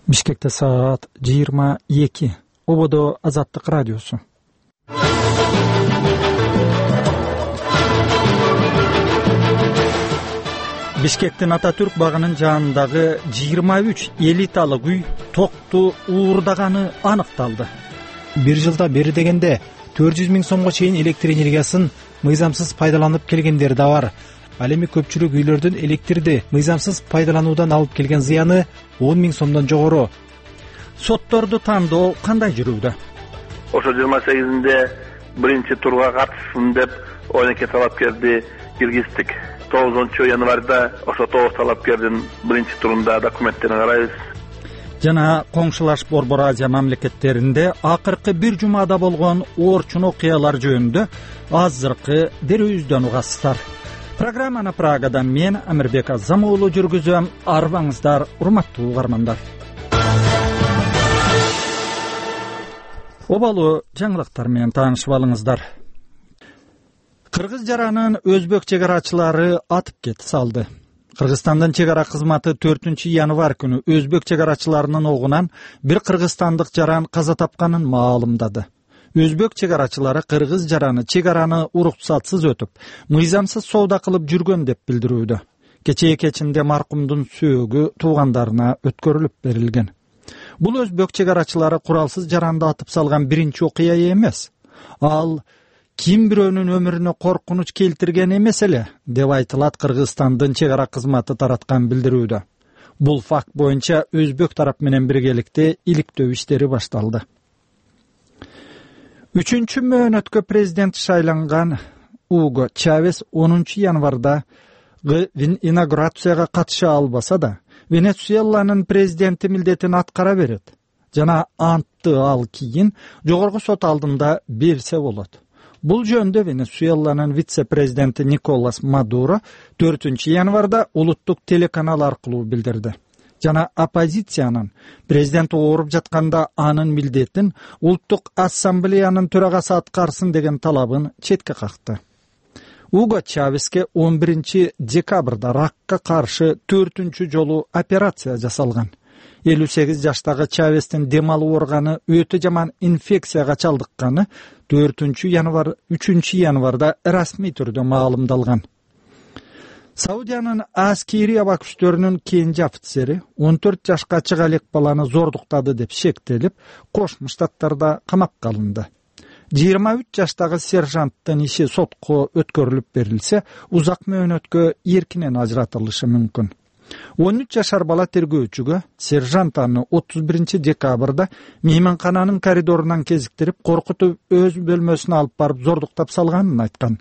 Бишкекте саат 22. Ободо Азаттык радиосу. Бишкектин Ататүрк багынын жанындагы 23 элиталык үй токту уурдаганы аныкталды. Бир жылда бери дегенде 400 000 сомго чейин электр энергиясын мыйзамсыз пайдаланып келгендер да бар. Ал эми көпчүлүк үйлөрдүн электрди мыйзамсыз пайдалануудан алып келген зыяны 10 000 сомдон жогору. Сотторду тандоо кандай жүрүүдө? Ошо 28-inde биринчи турга катышсын деп ойнеке талапкерди киргиздик. 9-январда ошо 9 талапкердин биринчи турунда документтерин карайбыз. Жана коңшулаш Борбор Азия мамлекеттеринде акыркы бир жумада болгон орчун окуялар жөнүндө азыркы дерөөбүздөн угасыздар. Программаны Прагадан мен Амирбек Азам уулу жүргүзөм. Арбаңыздар, урматтуу угармандар. Обалуу жаңылыктар менен таанышып алыңыздар. Кыргыз жаранын өзбек чегарачылары атып кетип салды. Кыргызстандын чегара кызматы 4-январ күнү өзбек чегарачыларынын огунан бир кыргызстандык жаран каза тапканын маалымдады. Өзбек чегарачылары кыргыз жараны чегараны уруксатсыз өтүп, мыйзамсыз соода кылып жүргөн деп билдирүүдө. Кечээ кечинде маркумдун сөөгү туугандарына өткөрүлүп берилген. Бул өзбек чегарачылары куралсыз жаранды атып салган биринчи окуя эмес. Ал ким бирөөнүн өмүрүнө коркунуч келтирген эмес эле, деп айтылат Кыргызстандын чегара кызматы тараткан билдирүүдө. Бул факт боюнча өзбек тарап менен биргеликте иликтөө иштери башталды. 3-мөөнөткө президент шайланган Уго Чавес 10-январда инаугурацияга катыша албаса да, Венесуэланын президенти милдетин аткара берет. Жана антты ал кийин жогорку сот алдында берсе болот. Бул жөнүндө Венесуэланын вице-президенти Николас Мадуро 4-январда улуттук телеканал аркылуу билдирди. Жана оппозициянын президент ооруп жатканда анын милдетин улуттук ассамблеянын төрагасы аткарсын деген талабын четке какты. Уго Чавеске 11-декабрда ракка каршы 4-жолу операция жасалган. 58 жаштагы Чавестин дем алуу органы өтө жаман инфекцияга чалдыкканы 3-январда расмий түрдө маалымдалган. Саудиянын аскери аба күчтөрүнүн кенже офицери 14 жашка чыга элек баланы зордуктады деп шектелип, Кошмо Штаттарда камакка алынды. 23 жаштагы сержанттын иши сотко өткөрүлүп берилсе, узак мөөнөткө эркинен ажыратылышы мүмкүн. 13 жашар бала тергөөчүгө сержант аны 31-декабрда мейманкананын коридорунан кезиктирип, коркутуп өз бөлмөсүнө алып барып зордуктап салганын айткан.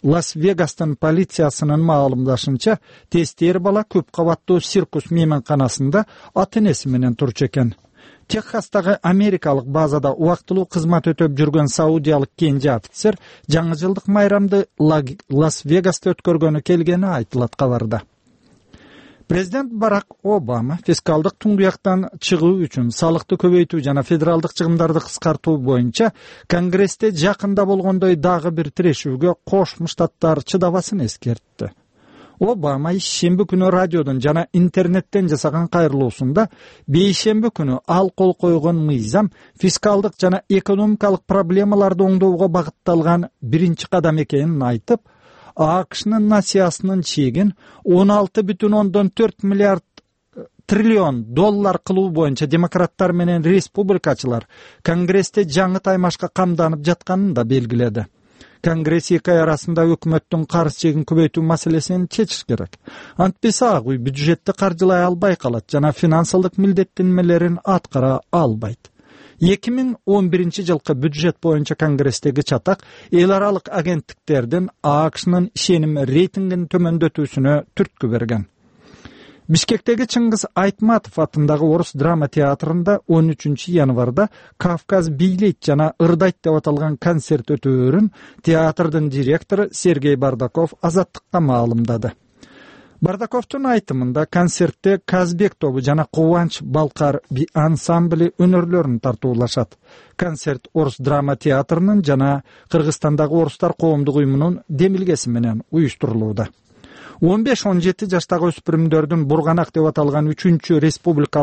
Лас-Вегастын полициясынын маалымдашынча, тестер бала көп кабаттуу циркус мейманканасында ата-энеси менен турчу экен. Техастагы америкалык базада убактылуу кызмат өтөп жүргөн саудиялык кенже офицер жаңы жылдык майрамды Лас-Вегаста өткөргөнү келгени айтылат кабарда. Президент Барак Обама фискалдык туңгуяктан чыгуу үчүн салыкты көбөйтүү жана федералдык чыгымдарды кыскартуу боюнча Конгрессте жакында болгондой дагы бир тирешүүгө Кошмо Штаттар чыдабасын эскертти. Обама ишемби күнү радиодон жана интернеттен жасаган кайрылуусунда бейшемби күнү ал кол койгон мыйзам фискалдык жана экономикалык проблемаларды оңдоого багытталган биринчи кадам экенин айтып, АКШнын насыясынын чегин 16,4 триллион доллар кылуу боюнча демократтар менен республикачылар Конгрессте жаңы таймашка камданып жатканын да белгиледи. Конгресс эки ай арасында өкмөттүн карыз чегин көбөйтүү маселесин чечиш керек. Антпесе ак үй бюджетти каржылай албай калат жана финансылык милдеттенмелерин аткара албайт. 2011-жылкы бюджет боюнча Конгресстеги чатак эл аралык агенттиктердин АКШнын ишеним рейтингин төмөндөтүүсүнө түрткү берген. Бишкектеги Чыңгыз Айтматов атындагы Орус драма театрында 13-январда Кавказ бийлейт жана ырдайт деп аталган концерт өтөөрүн театрдын директору Сергей Бардаков Азаттыкка маалымдады. Бардаковтун айтымында концертте Казбек тобу жана Кубанч Балкар би ансамбли өнөрлөрүн тартуулашат. Концерт Орус драма театрынын жана Кыргызстандагы орустар коомдук уюмунун демилгеси менен уюштурулууда. 15-17 жаштагы өспүрүмдөрдүн бурганак деп аталган 3-республика